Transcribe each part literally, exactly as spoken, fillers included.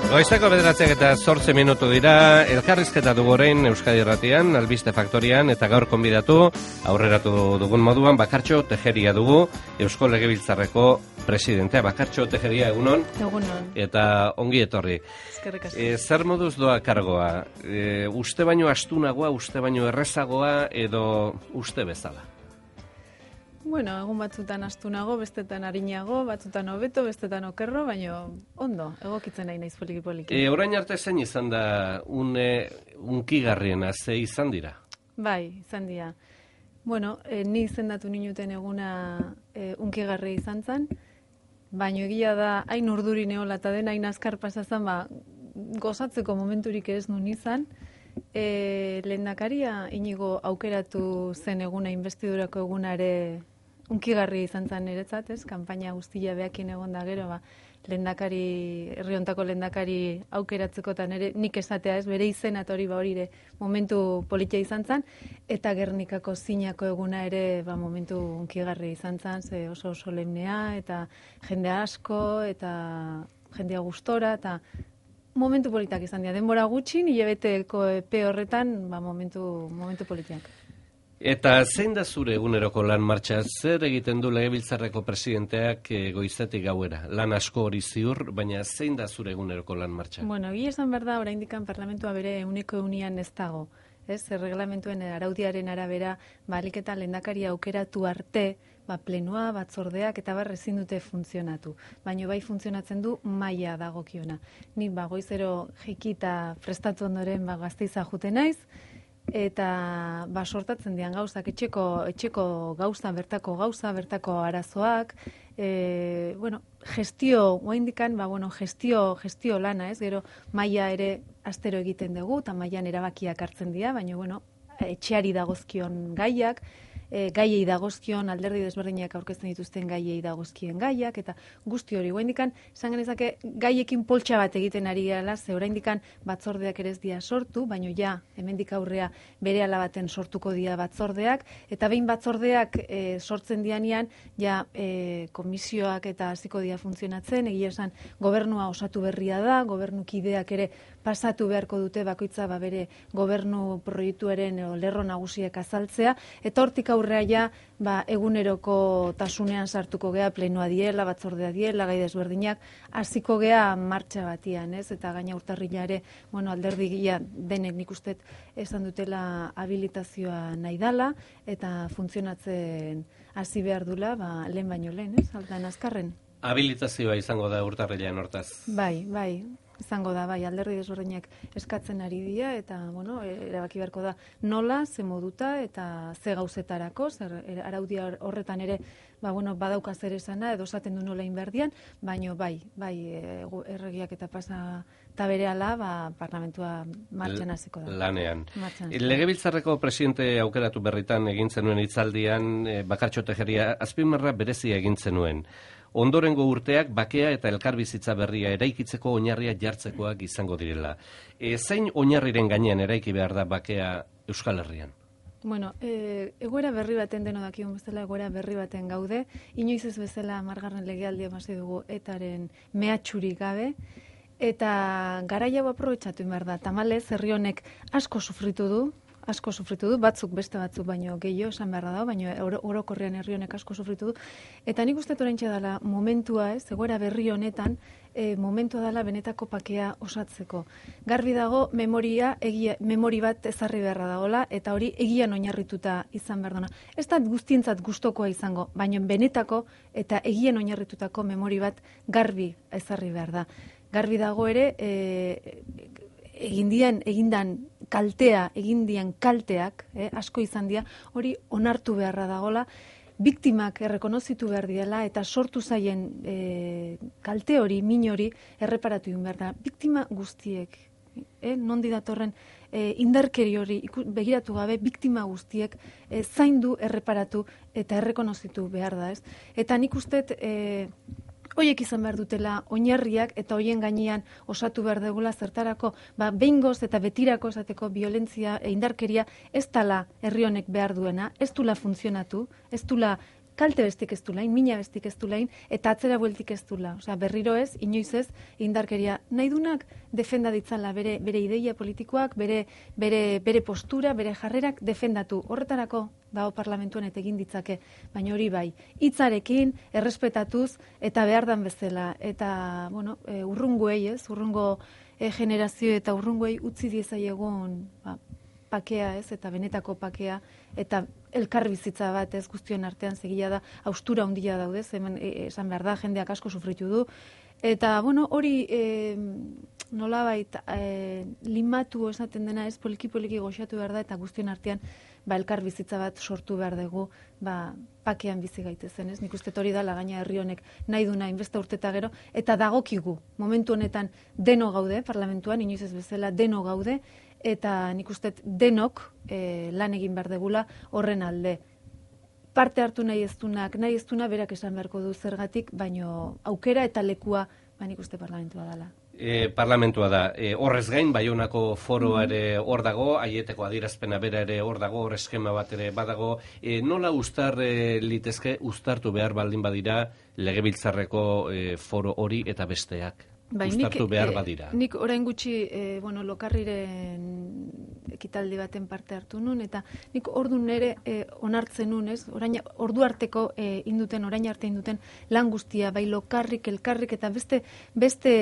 Goizeko bederatziak eta zortzi minutu dira, elkarrizketa dugu orain Euskadi Irratian, Albiste Faktorian, eta gaur konbidatu, aurreratu dugun moduan, Bakartxo Tejeria dugu, Eusko Legebiltzarreko presidentea. Bakartxo Tejeria, egunon? Egunon. Eta ongi etorri. Eskerrik asko. E, zer moduz doa kargoa? E, uste baino astunagoa, uste baino errezagoa, edo uste bezala? Bueno, egun batzutan astunago, bestetan arinago, batzutan hobeto, bestetan okerro, baina ondo, egokitzen nahi naiz poliki-poliki. E, orain arte zein izan da une unkigarriena, ze izan dira? Bai, izan dira. Bueno, e, ni izendatu ninuten eguna e, unkigarri izan zen, baina egia da, hain urduri neola eta den, hain azkar pasazan, ba, gozatzeko momenturik ez nun izan. E, lehendakaria inigo aukeratu zen eguna, investidurako eguna ere unkigarri izan zen niretzat, ez? Kanpaina guztia behakin egon da gero, ba, lehendakari, herri hontako lehendakari aukeratzeko eta nire nik esatea, ez? Bere izena eta hori ba hori ere momentu politia izan zen, eta Gernikako zinako eguna ere ba, momentu unkigarri izan zen, ze oso solemnea, eta jende asko, eta jendea gustora, eta momentu politak izan dira. Denbora gutxin, hilabeteko epe horretan, ba, momentu, momentu politiak. Eta zein da zure eguneroko lan martxa? Zer egiten du Legebiltzarreko presidenteak goizetik gauera? Lan asko hori ziur, baina zein da zure eguneroko lan martxa? Bueno, egia esan behar da, oraindikan parlamentua bere euneko eunian ez dago. Ez, erreglamentuen araudiaren arabera, balik eta lehendakaria aukeratu arte, ba, plenua, batzordeak eta bar ezin dute funtzionatu. Baina bai funtzionatzen du maila dagokiona. Nik ba, goizero jikita prestatu ondoren ba, Gasteiza jute naiz, eta ba, sortatzen dian gauzak, etxeko, etxeko gauza, bertako gauza, bertako arazoak, e, bueno, gestio, oaindikan, ba, bueno, gestio, gestio lana, ez, gero maila ere astero egiten dugu, eta mailan erabakiak hartzen dira, baina, bueno, etxeari dagozkion gaiak, e, gaiei dagozkion alderdi desberdinak aurkezten dituzten gaiei dagozkien gaiak, eta guzti hori, oraindikan esan genezake gaiekin poltsa bat egiten ari gala, ze oraindikan batzordeak ere ez dira sortu, baina ja, hemendik aurrea berehala baten sortuko dira batzordeak, eta behin batzordeak e, sortzen dianean, ja e, komisioak eta hasiko dira funtzionatzen, egia esan gobernua osatu berria da, gobernukideak ere pasatu beharko dute bakoitza ba, bere gobernu proiektuaren lerro nagusiak azaltzea, eta hortik aurrea ja ba, eguneroko tasunean sartuko gea, plenoa diela, batzordea diela, gai desberdinak, hasiko gea martxa batian, ez? Eta gaina urtarrila ere, bueno, alderdi gila denek nik uste esan dutela habilitazioa nahi dala, eta funtzionatzen hasi behar dula, ba, lehen baino lehen, ez? Altan azkarren. Habilitazioa izango da urtarrilean hortaz. Bai, bai. Izango da, bai, alderdi desberdinak eskatzen ari dira, eta, bueno, erabaki beharko da nola, ze moduta, eta ze gauzetarako, zer araudia horretan ere, ba, bueno, badauka zer esana, edo esaten du nola inberdian, baino, bai, bai, erregiak eta pasa eta berehala, ba, parlamentua martxan hasiko da. Lanean. Legebiltzarreko presidente aukeratu berritan egin zenuen hitzaldian, Bakartxo Tejeria, azpimarra berezia egin zenuen. Ondorengo urteak bakea eta elkarbizitza berria eraikitzeko oinarria jartzekoak izango direla. E, zein oinarriren gainean eraiki behar da bakea Euskal Herrian? Bueno, e, egoera berri baten deno dakigun bezala, egoera berri baten gaude, inoiz ez bezala hamargarren legealdia hasi dugu etaren mehatxurik gabe, eta garaia hau aprobetxatu behar da. Tamalez, herri honek asko sufritu du, asko sufritu du, batzuk beste batzuk baino gehiago esan beharra dago, baino orokorrean herri honek asko sufritu du, eta nik uste oraintxe dela momentua, ez, egoera berri honetan, e, momentua dela benetako pakea osatzeko. Garbi dago memoria, egia, memori bat ezarri beharra dagoela, eta hori egian oinarrituta izan behar duna. Ez da guztientzat gustokoa izango, baino benetako eta egian oinarritutako memori bat garbi ezarri behar da. Garbi dago ere, e, egindian, egindan kaltea, egindian kalteak, eh, asko izan dira, hori onartu beharra dagola, biktimak errekonozitu behar diela, eta sortu zaien e, kalte hori, min hori, erreparatu egin behar da. Biktima guztiek, eh, nondi datorren e, indarkeri hori begiratu gabe, biktima guztiek e, zaindu, erreparatu eta errekonozitu behar da, ez? Eta nik uste, e, Hoiek izan behar dutela oinarriak eta hoien gainean osatu behar dugula zertarako, ba, behingoz eta betirako esateko violentzia e indarkeria ez dala herri honek behar duena, ez dula funtzionatu, ez dula kalte bestik ez du lain, mina bestik ez du lain, eta atzera bueltik ez du la. Osea, berriro ez, inoiz ez, indarkeria nahi dunak defenda ditzala bere, bere ideia politikoak, bere, bere, bere postura, bere jarrerak defendatu. Horretarako dago parlamentuan eta egin ditzake, baina hori bai, hitzarekin, errespetatuz, eta behar dan bezala. Eta, bueno, e, urrungoei ez, urrungo e, generazio eta urrungoei utzi diezaiegun, ba, pakea ez, eta benetako pakea, eta elkar bizitza bat ez guztion artean segila da, haustura handia daude, hemen e, esan behar da, jendeak asko sufritu du, eta, bueno, hori e, nolabait e, limatu esaten dena ez, poliki-poliki goxatu behar da, eta guztion artean ba, elkar bizitza bat sortu behar dugu, ba, pakean bizi gaitezen, ez? Nik uste hori da, lagaina herri honek nahi duna inbesta urteta gero, eta dagokigu, momentu honetan deno gaude, parlamentuan, inoiz ez bezala, deno gaude, eta nik uste denok e, lan egin behar degula horren alde. Parte hartu nahi ez dunak, nahi ez duna berak esan beharko du zergatik, baino aukera eta lekua, ba, nik uste parlamentua dela. E, parlamentua da. E, horrez gain, Baionako foroa ere hor dago, aieteko adierazpena bera ere hor dago, hor eskema bat ere badago. E, nola ustar e, litezke, ustartu behar baldin badira Legebiltzarreko e, foro hori eta besteak? Ba, ustartu nik, behar badira. Eh, nik orain gutxi eh, bueno, Lokarriren ekitaldi baten parte hartu nun, eta nik ordu nere eh, onartzen nun, ez? Orain, ordu arteko eh, induten, orain arte induten lan guztia, bai Lokarrik, elkarrik, eta beste beste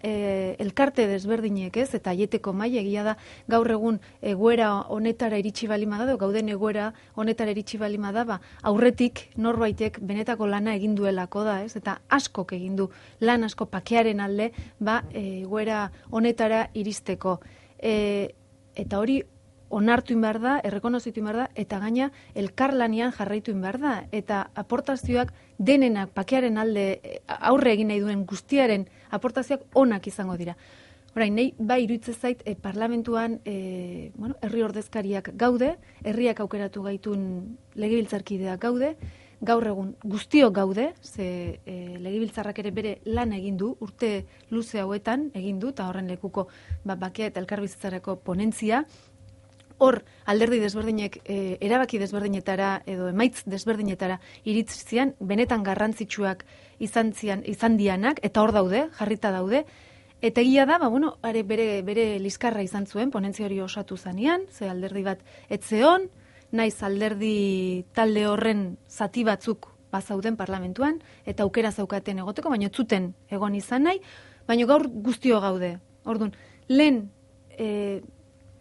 eh, elkarte desberdinek, ez? Eta aieteko maila egia da, gaur egun egoera honetara iritsi balima da, gauden egoera honetara iritsi balima da, ba, aurretik norbaitek benetako lana egin duelako da, ez? Eta askok egin du lan asko pakearen alde, ba, egoera honetara iristeko. E, eta hori onartu behar da, errekonozitu behar da, eta gaina elkarlanian jarraitu behar da. Eta aportazioak denenak pakearen alde aurre egin nahi duen guztiaren aportazioak onak izango dira. Orain, nahi, bai iruditzen zait, e, parlamentuan e, bueno, herri ordezkariak gaude, herriak aukeratu gaitun legebiltzarkideak gaude, gaur egun guztiok gaude, ze e, Legebiltzarrak ere bere lan egin du, urte luze hauetan egin du, eta horren lekuko ba, bakea eta elkarbizitzarako ponentzia. Hor, alderdi desberdinek e, erabaki desberdinetara edo emaitz desberdinetara iritzian, benetan garrantzitsuak izan, zian, izan dianak, eta hor daude, jarrita daude, eta egia da, ba, bueno, are bere, bere liskarra izan zuen, ponentzia hori osatu zanean, ze alderdi bat etzeon, naiz alderdi talde horren zati batzuk bazauden parlamentuan, eta aukera zaukaten egoteko, baina zuten egon izan nahi, baina gaur guztio gaude. Orduan, lehen, e,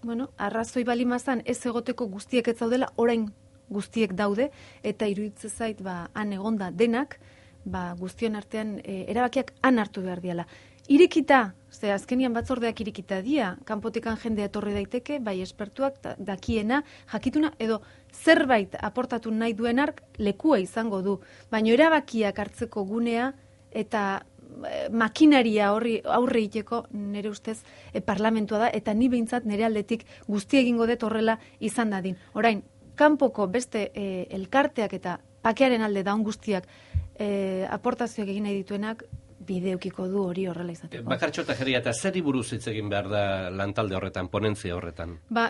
bueno, arrazoi balimazan ez egoteko guztiek ez zaudela, orain guztiek daude, eta iruditzen zait, ba, han egonda denak, ba, guztion artean e, erabakiak han hartu behar diala. Irikita, ze azkenian batzordeak irikita dia, kanpotikan jendea etorri daiteke, bai espertuak, dakiena, jakituna, edo zerbait aportatu nahi duen ark lekua izango du. Baina erabakiak hartzeko gunea eta e, makinaria horri aurre egiteko nire ustez e, parlamentua da, eta ni behintzat nire aldetik guzti egingo dut horrela izan dadin. Orain, kanpoko beste e, elkarteak eta pakearen alde daun guztiak e, aportazioak egin nahi dituenak, bideukiko du hori horrela izateko. Bakartxo Tejeria, eta zeri buruz hitz egin behar da lantalde horretan, ponentzia horretan? Ba,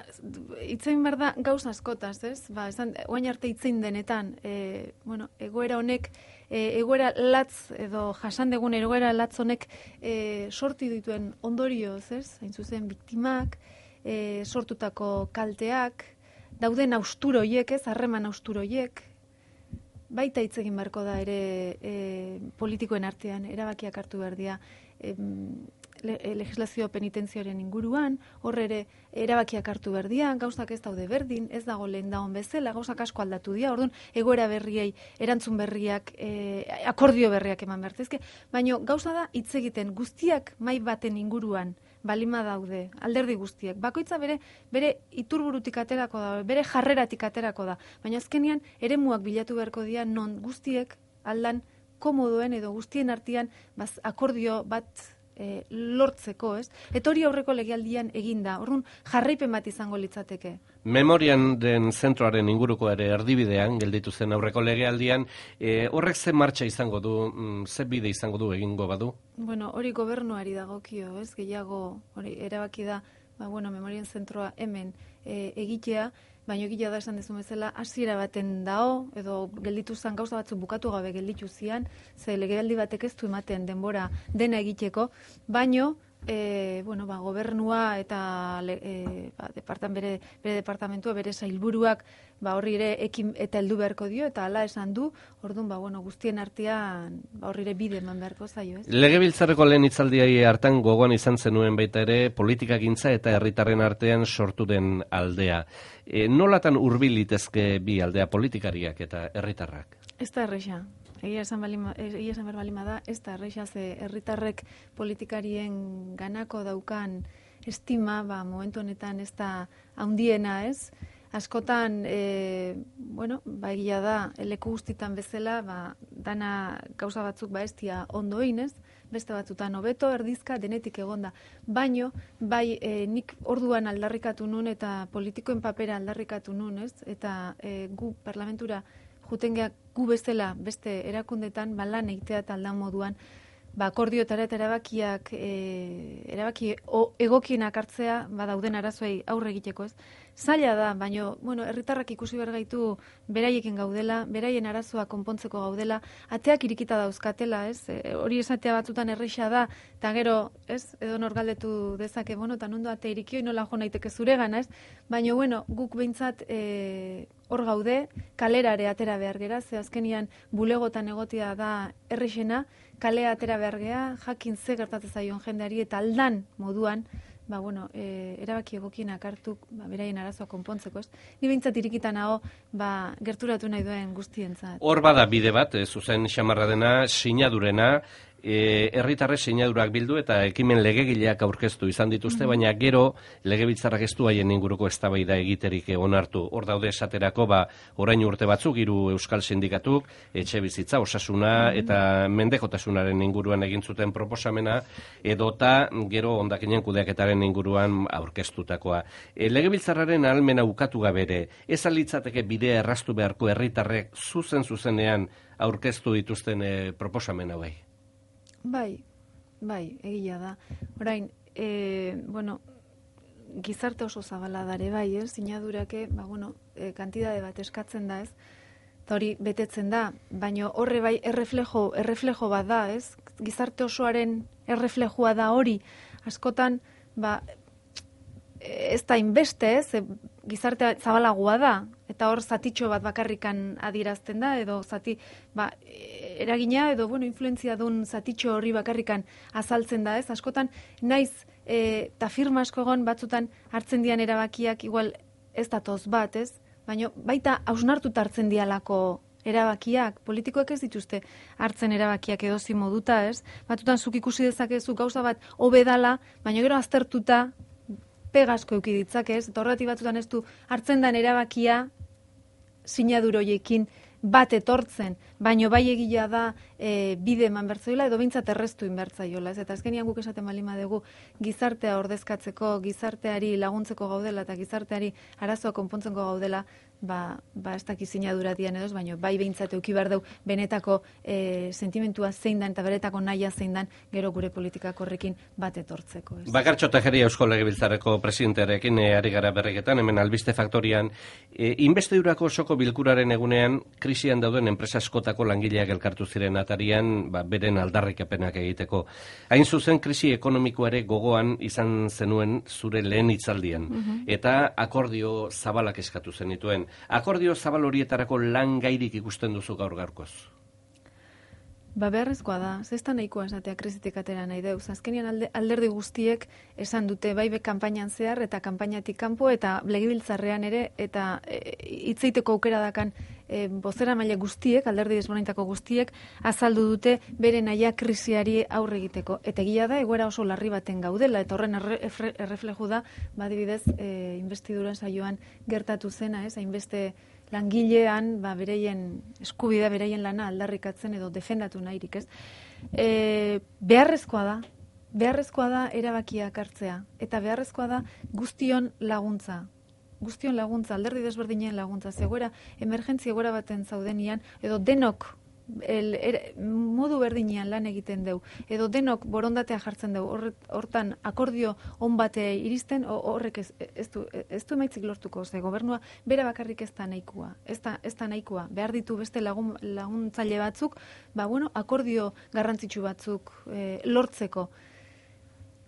hitz egin behar da gauz askotaz, ez? Ba, esan, oain arte hitz egin denetan, e, bueno, egoera honek, e, egoera latz, edo jasan degun egoera latz honek e, sorti dituen ondorioz, ez? Hain zuzen, biktimak, e, sortutako kalteak, dauden haustur horiek, ez? Harreman haustur horiek, baita hitz egin beharko da ere e, politikoen artean, erabakiak hartu behar dira e, le, legislazio penitenzioaren inguruan, horre ere erabakiak hartu behar dira, gauzak ez daude berdin, ez dago lehen dagoen bezala, gauzak asko aldatu dira, orduan egoera berriei, erantzun berriak, e, akordio berriak eman behartezke, baina gauza da hitz egiten guztiak mai baten inguruan, balima daude, alderdi guztiek. Bakoitza bere bere iturburutik aterako da, bere jarreratik aterako da. Baina azkenean eremuak bilatu beharko dira non guztiek aldan komodoen edo guztien artean baz, akordio bat e, lortzeko, ez? Eta hori aurreko legealdian eginda. Orrun jarraipen bat izango litzateke. Memorian den zentroaren inguruko ere erdibidean gelditu zen aurreko legealdian, e, horrek ze martxa izango du, mm, ze bide izango du egingo badu? Bueno, hori gobernuari dagokio, ez? Gehiago hori erabaki da ba, bueno, memorien zentroa hemen e, egitea, baina egitea da esan dezu bezala, hasiera baten dao, edo gelditu zen gauza batzuk bukatu gabe gelditu zian, ze legealdi batek ez du ematen denbora dena egiteko, baino, E, bueno, ba, gobernua eta e, ba, departan bere, bere departamentua, bere sailburuak ba, horri ere ekin eta heldu beharko dio, eta hala esan du, orduan ba, bueno, guztien artean ba, horri ere bide eman beharko zaio. Ez? Legebiltzarreko lehen hitzaldiai hartan gogoan izan zenuen baita ere politikagintza eta herritarren artean sortu den aldea. E, nolatan hurbil litezke bi aldea, politikariak eta herritarrak? Ez da erresa. Egia esan balima, egia esan balima da, ez da erresa ze herritarrek politikarien ganako daukan estima, ba, momentu honetan ez da handiena, ez? Askotan, e, bueno, ba, egia da, leku guztitan bezala, ba, dana gauza batzuk ba estia ondo inez, beste batzutan hobeto, erdizka, denetik egonda. Baino, bai, e, nik orduan aldarrikatu nun eta politikoen papera aldarrikatu nun, ez? Eta e, gu parlamentura jutengeak gu bezala beste erakundetan balan eitea eta aldan moduan ba, akordioetara eta erabakiak e, erabaki o, egokienak hartzea ba, dauden arazoei aurre egiteko, ez? Zaila da, baina bueno, herritarrak ikusi behar gaitu beraiekin gaudela, beraien arazoa konpontzeko gaudela, ateak irikita dauzkatela, ez? E, hori esatea batzutan erresa da, eta gero, ez? Edo nor galdetu dezake, bueno, eta nondo ate irikio, nola jo naiteke zuregana, ez? Baina, bueno, guk behintzat e, hor gaude, kalerare atera behar gera, ze azkenian bulegotan egotia da errexena, kalea atera behar gea, jakin ze gertatzen zaion jendeari eta aldan moduan, ba, bueno, e, erabaki egokienak hartu, ba, beraien arazoa konpontzeko, ez? Ni behintzat irikitan hau, ba, gerturatu nahi duen guztientzat. Hor bada bide bat, e, zuzen xamarra dena, sinadurena, e, herritarre sinadurak bildu eta ekimen legegileak aurkeztu izan dituzte, mm-hmm. baina gero legebiltzarrak ez du haien inguruko eztabaida egiterik onartu. Hor daude esaterako, ba, orain urte batzuk, hiru euskal sindikatuk, etxe bizitza, osasuna mm-hmm. eta mendekotasunaren inguruan egin zuten proposamena, edota gero hondakinen kudeaketaren inguruan aurkeztutakoa. E, legebiltzarraren ahalmena ukatu gabere, ez alitzateke bidea erraztu beharko herritarrek zuzen zuzenean aurkeztu dituzten e, proposamen hauei? Bai, bai, egia da. Orain, e, bueno, gizarte oso zabala dare bai, ez? Sinadurake, ba, bueno, e, kantidade bat eskatzen da, ez? Eta hori betetzen da, baina horre bai erreflejo, erreflejo bat da, ez? Gizarte osoaren erreflejoa da hori. Askotan, ba, ez da inbeste, ez? Gizarte zabalagoa da, eta hor zatitxo bat bakarrikan adierazten da, edo zati, ba, eragina, edo, bueno, influenzia duen zatitxo hori bakarrikan azaltzen da, ez? Askotan, naiz, eta e, firma asko egon batzutan hartzen dian erabakiak, igual ez datoz bat, ez? Baina baita hausnartuta hartzen dialako erabakiak, politikoek ez dituzte hartzen erabakiak edozi moduta, ez? Batzutan zuk ikusi dezakezu gauza bat hobedala, baina gero aztertuta pegasko euki ditzakez, eta horretik batzutan ez du hartzen den erabakia sinaduroiekin bat etortzen, baino bai egia da e, bide eman bertzaiola edo behintzat erreztu inbertzaiola, ez? Eta azkenian guk esaten balima dugu gizartea ordezkatzeko, gizarteari laguntzeko gaudela eta gizarteari arazoa konpontzeko gaudela, ba, ba ez daki sinadura dian edoz, baino bai behintzat euki behar dugu benetako e, sentimentua zein dan eta beretako nahia zein dan gero gure politikak horrekin bat etortzeko. Ez? Bakartxo Tejeria Eusko Legebiltzarreko presidentearekin e, ari gara berriketan, hemen Albiste Faktorian, e, inbestidurako osoko bilkuraren egunean krisian dauden enpresa askotako langileak elkartu ziren atarian, ba, beren aldarrikapenak egiteko. Hain zuzen krisi ekonomikoare gogoan izan zenuen zure lehen hitzaldian, uh-huh. eta akordio zabalak eskatu zenituen. Akordio zabal horietarako lan gairik ikusten duzu gaur gaurkoz? Ba, beharrezkoa da, zesta nahikoa esatea krisitik atera nahi deuz. Azkenian alde, alderdi guztiek esan dute bai be kanpainan zehar eta kanpainatik kanpo eta legebiltzarrean ere eta hitzeiteko e, aukera dakan e, bozera maila guztiek, alderdi desberdinetako guztiek azaldu dute bere naia krisiari aurre egiteko. Eta egia da egoera oso larri baten gaudela eta horren erre, erre, errefleju da, badibidez, e, investidura saioan gertatu zena, ez, hainbeste langilean, ba, bereien eskubidea, bereien lana aldarrikatzen edo defendatu nahirik, ez? E, beharrezkoa da, beharrezkoa da erabakiak hartzea, eta beharrezkoa da guztion laguntza, guztion laguntza, alderdi desberdinen laguntza, zegoera, emergentzia egoera baten zaudenian, edo denok el, er, modu berdinean lan egiten deu, edo denok borondatea jartzen deu, hortan akordio on bate iristen, horrek ez, ez, du, ez du emaitzik lortuko, ze gobernua bere bakarrik ez da nahikoa, ez da, ez da nahikoa, behar ditu beste lagun, laguntzaile batzuk, ba, bueno, akordio garrantzitsu batzuk e, lortzeko.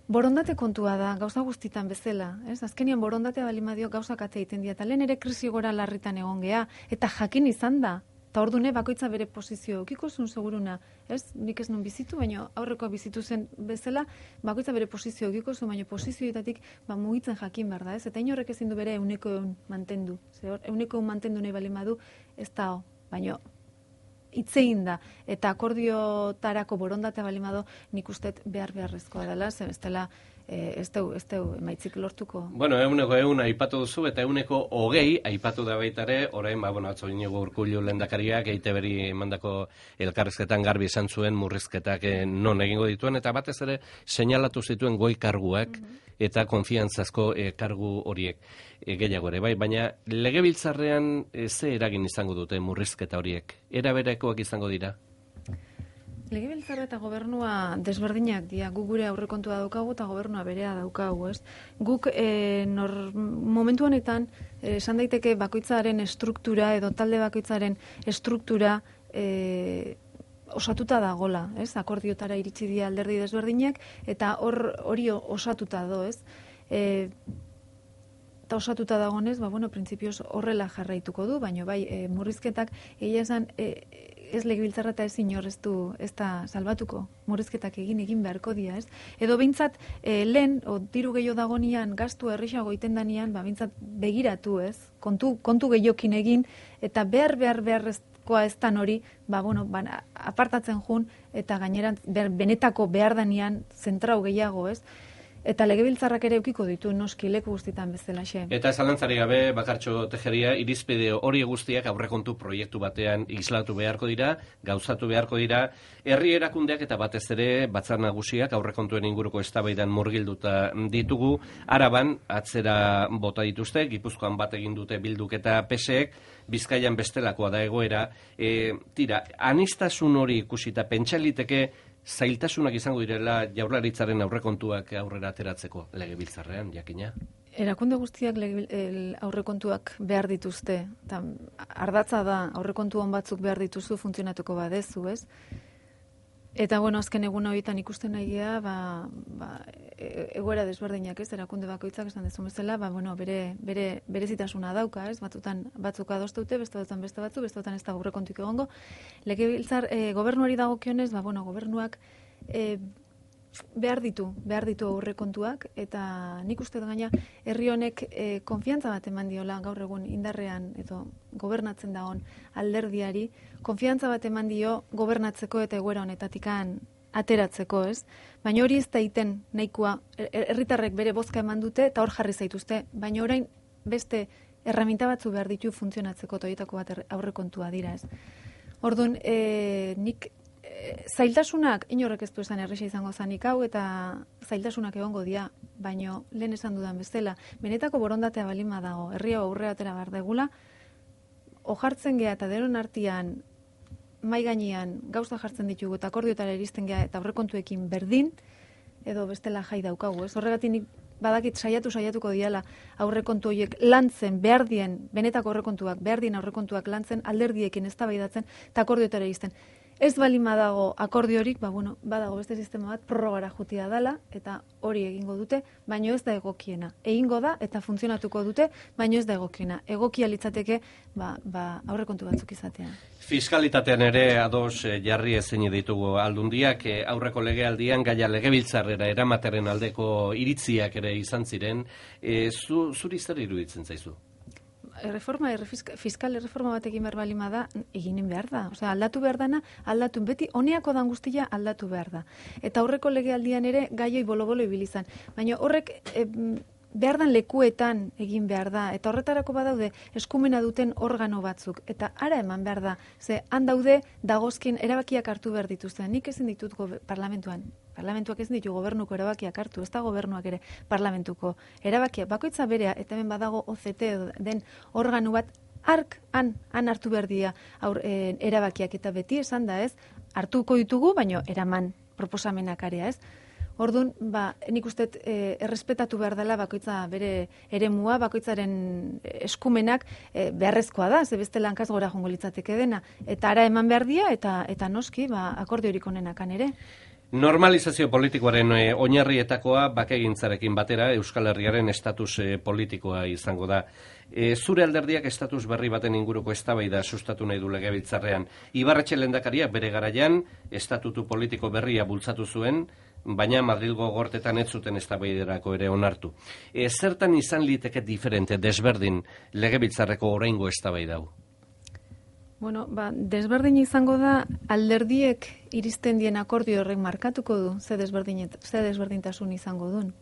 Borondate kontua da, gauza guztitan bezala, ez? Azkenian borondatea balimadio gauzak ate egiten dira, eta lehen ere krisi gora larritan egon gea, eta jakin izan da, eta ordune bakoitza bere posizio, okiko zuen seguruna, ez? Nik ez nun bizitu, baina aurrekoa bizitu zen bezala, bakoitza bere posizio, okiko zuen, baina posizioetatik ba, mugitzen jakin behar da, ez? Eta inorrek ezin du bere euneko eun mantendu, ze hor, euneko eun mantendu nahi balimadu, ez da ho, baina itzein da, eta akordiotarako borondatea balimado nik ustet behar beharrezkoa dela, ze bestela ez deu, ez deu emaitzik lortuko. Bueno, euneko eun aipatu duzu, eta euneko hogei aipatu da baitare, orain, ba, bueno, atzo Iñigo Urkullu lehendakariak, E I Te Beri mandako elkarrizketan garbi esan zuen murrizketak non egingo dituen, eta batez ere seinalatu zituen goi karguak, mm-hmm. eta konfiantzazko e, kargu horiek e, gehiago ere, bai, baina legebiltzarrean e, ze eragin izango dute murrizketa horiek? Era berekoak izango dira? Legebiltzarra eta gobernua desberdinak dira, gu gure aurrekontua daukagu eta gobernua berea daukagu, ez? Guk e, nor, momentu honetan esan daiteke bakoitzaren estruktura edo talde bakoitzaren estruktura e, osatuta dagola, ez? Akordiotara iritsi dira alderdi desberdinak eta hor hori osatuta do, ez? E, eta osatuta dagonez, ba, bueno, printzipioz horrela jarraituko du, baina bai, e, murrizketak egia esan e, ez legebiltzarra eta ez inor ez du ez da salbatuko, murrizketak egin egin beharko dira, ez? Edo behintzat e, lehen, o, diru gehiago dagonian, gastu errixago iten danian, ba, behintzat begiratu, ez? Kontu, kontu gehiokin egin, eta behar behar beharrezkoa ez dan hori, ba, bueno, ba, apartatzen jun, eta gaineran behar, benetako behar danian zentrau gehiago, ez? Eta legebiltzarrak ere eukiko ditu noski leku guztitan bezalaxe. Eta zalantzari gabe, Bakartxo Tejeria, irizpide hori guztiak aurrekontu proiektu batean islatu beharko dira, gauzatu beharko dira, herri erakundeak eta batez ere batzar nagusiak aurrekontuen inguruko eztabaidan murgilduta ditugu, Araban atzera bota dituzte, Gipuzkoan bat egin dute Bilduk eta P S ek, Bizkaian bestelakoa da egoera, e, tira, anistasun hori ikusita pentsaliteke zailtasunak izango direla Jaurlaritzaren aurrekontuak aurrera ateratzeko legebiltzarrean, jakina? Erakunde guztiak lege, el, aurrekontuak behar dituzte. Ta, ardatza da aurrekontu on batzuk behar dituzu funtzionatuko badezu, ez? Eta, bueno, azken egun horietan ikusten nahi gea, ba, ba, egoera desberdinak, ez, erakunde bakoitzak esan dezun bezala, ba, bueno, bere, bere, berezitasuna dauka, ez, batzutan batzuk adosteute, beste batzutan beste batzu, beste batzutan ez da aurrekontuik egongo. Legebiltzar, e, gobernuari dagokionez, ba, bueno, gobernuak e, behar ditu, behar ditu aurrekontuak, eta nik uste gaina herri honek e, konfiantza bat eman diola gaur egun indarrean edo gobernatzen dagoen alderdiari, konfiantza bat eman dio gobernatzeko eta egoera honetatikan ateratzeko, ez? Baina hori ez da iten nahikoa, herritarrek bere bozka eman dute eta hor jarri zaituzte, baina orain beste erraminta batzu behar ditu funtzionatzeko toietako bat aurrekontua dira, ez? Orduan, e, nik zailtasunak inorrek ez du esan erresa izango zanik hau eta zailtasunak egongo dira, baino lehen esan dudan bezala, benetako borondatea balima dago, herria aurrea atera behar degula, ojartzen gea eta denon artean mai gainean gauza jartzen ditugu eta akordiotara iristen gea eta aurrekontuekin berdin, edo bestela jai daukagu, ez? Horregatik nik badakit saiatu saiatuko diala aurrekontu horiek lantzen behar dien, benetako aurrekontuak, behar dien aurrekontuak lantzen, alderdiekin eztabaidatzen eta akordiotara iristen. Ez balima dago akordiorik, ba, bueno, badago beste sistema bat prorrogara jutia dela, eta hori egingo dute, baino ez da egokiena. Egingo da, eta funtzionatuko dute, baino ez da egokiena. Egokia litzateke, ba, ba, aurrekontu batzuk izatean. Fiskalitatean ere ados jarri ezin ditugu aldundiak, aurreko legealdian gaia legebiltzarrera eramateren aldeko iritziak ere izan ziren, e, zu, zuri zer iruditzen zaizu? Reforma, fiskal erreforma batekin behar balima da, eginen behar da. Osea, aldatu behar dana, aldatu beti, honeako dan guztia aldatu behar da. Eta aurreko legealdian ere gaioi bolo-bolo ibilizan. Baina horrek e, behar dan lekuetan egin behar da. Eta horretarako badaude eskumena duten organo batzuk. Eta ara eman behar da. Ze, han daude dagozkin erabakiak hartu behar dituzten. Nik ezin ditut parlamentuan. Parlamentuak ezin ditu gobernuko erabakiak hartu, ez da gobernuak ere parlamentuko erabakiak. Bakoitza berea, eta hemen badago O Z T den organu bat ark, han, han hartu behar dira aur, e, erabakiak eta beti esan da ez, hartuko ditugu, baino eraman proposamenak area ez. Orduan, ba, nik uste e, errespetatu behar dela bakoitza bere eremua, bakoitzaren eskumenak e, beharrezkoa da, ze beste lankaz gora jongo litzateke dena. Eta ara eman behar dira, eta, eta noski, ba, akordiorik onenakan ere. Normalizazio politikoaren e, oinarrietakoa bakegintzarekin batera Euskal Herriaren estatus e, politikoa izango da. E, zure alderdiak estatus berri baten inguruko eztabaida sustatu nahi du Legebiltzarrean. Ibarretxe lehendakariak bere garaian estatutu politiko berria bultzatu zuen, baina Madrilgo gortetan ez zuten eztabaiderako ere onartu. E, zertan izan liteke diferente, desberdin Legebiltzarreko oraingo eztabaida hau? Bueno, ba, desberdin izango da alderdiek iristen dien akordio horrek markatuko du, ze, ze desberdintasun izango duen.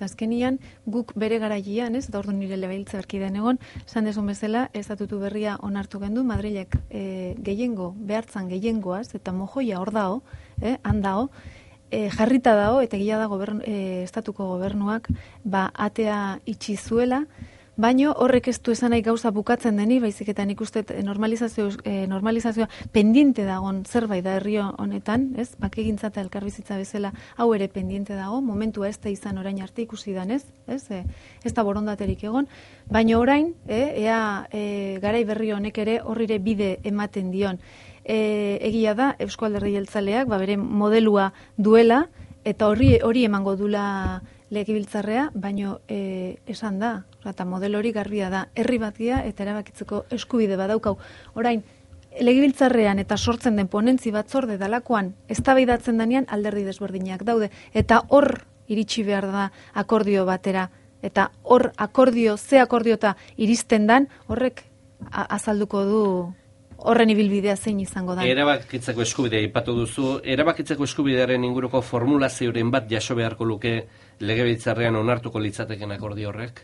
Azkenian, guk bere garaian, ez, da orduan nire Legebiltzarkideen egon, esan desun bezala, estatutu berria onartu gendu, Madrilek e, gehiengo, behartzan gehiengoaz, eta mojoia hor dao, eh, handao, e, jarrita dao, eta gila da gobern, e, estatuko gobernuak, ba, atea itxi zuela, baino horrek ez du esan nahi gauza bukatzen deni, baizik eta nik uste normalizazio, eh, normalizazioa pendiente dagon zerbait da herri honetan, ez? Bakegintza eta elkarbizitza bezala hau ere pendiente dago, momentua ez da izan orain arte ikusi danez, ez? E, ez da borondaterik egon, baino orain, e, ea e, garai berri honek ere horrire bide ematen dion. E, egia da, Eusko Alderdi Jeltzaleak, ba, bere modelua duela, eta horri hori emango dula Legebiltzarrea, baino e, esan da, eta model hori garbia da, herri batia eta erabakitzeko eskubide badaukau. Orain, Legebiltzarrean eta sortzen den ponentzi batzorde dalakoan eztabaidatzen denean alderdi desberdinak daude, eta hor iritsi behar da akordio batera, eta hor akordio, ze akordiota iristen dan, horrek azalduko du horren ibilbidea zein izango da. Erabakitzeko eskubidea ipatu duzu, erabakitzeko eskubidearen inguruko formulazioren bat jaso beharko luke Legebiltzarrean onartuko litzateken akordio horrek?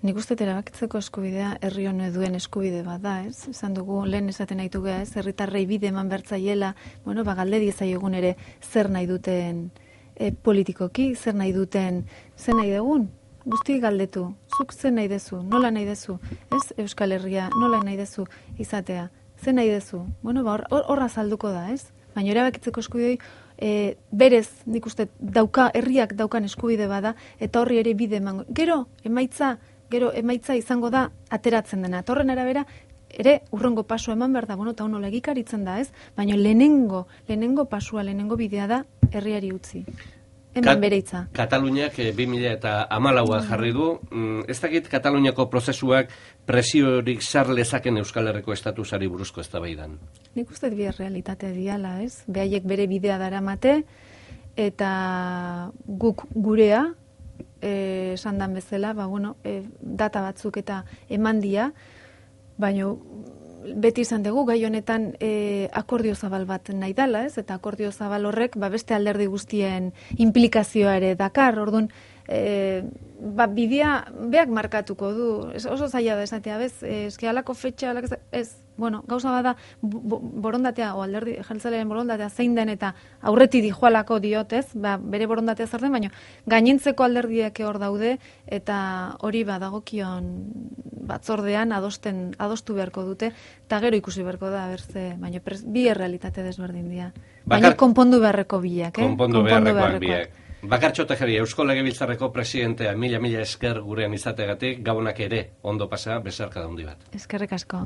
Nik uste erabakitzeko eskubidea herri honek duen eskubide bat da, ez? Esan dugu, lehen esaten nahi dugu, ez? Herritarrei bide eman bertzaiela, bueno, ba, galde diezaiegun ere zer nahi duten e, politikoki, zer nahi duten, zer nahi dugun? Guzti galdetu, zuk zer nahi dezu, nola nahi dezu, ez? Euskal Herria, nola nahi dezu izatea, zer nahi dezu? Bueno, ba, hor, horra salduko da, ez? Baina erabakitzeko eskubidei, e, berez, nik uste, dauka, herriak daukan eskubide bada, eta horri ere bide emango. Gero, emaitza, gero, emaitza izango da ateratzen dena. Torren arabera, ere, urrengo pasua eman behar da, bueno, eta honola egikaritzen da, ez? Baina lehenengo, lehenengo pasua, lehenengo bidea da, herriari utzi. Hemen bere hitza. Kataluniak bi mila hamalaua jarri du. Ez dakit Kataluniako prozesuak presiorik sar lezaken Euskal Herriko estatusari buruzko eztabaidan. Nik uste bi realitate diala, ez? Behaiek bere bidea daramate, eta guk gurea, esan dan bezala, ba, bueno, e, data batzuk eta eman dia, baina beti izan dugu, gai honetan e, akordio zabal bat nahi dala, ez? Eta akordio zabal horrek, ba, beste alderdi guztien implikazioa ere dakar, orduan, e, ba, bidea beak markatuko du, es, oso zaila da esatea, bez, eski alako fetxa, alako, ez, bueno, gauza bada bo, borondatea, o alderdi jeltzalearen borondatea zein den eta aurreti dijoalako diotez, ba, bere borondatea zer den, baina gainentzeko alderdiak hor daude, eta hori badagokion batzordean adosten, adostu beharko dute, eta gero ikusi beharko da, berze, baina pres, bi errealitate desberdin dira. Baina konpondu beharreko biak, eh? Konpondu beharrekoak biak. Bakartxo Tejeria, Eusko Legebiltzarreko presidentea, mila mila esker gurean izategatik, gabonak ere ondo pasa, besarka da handi bat. Eskerrik asko.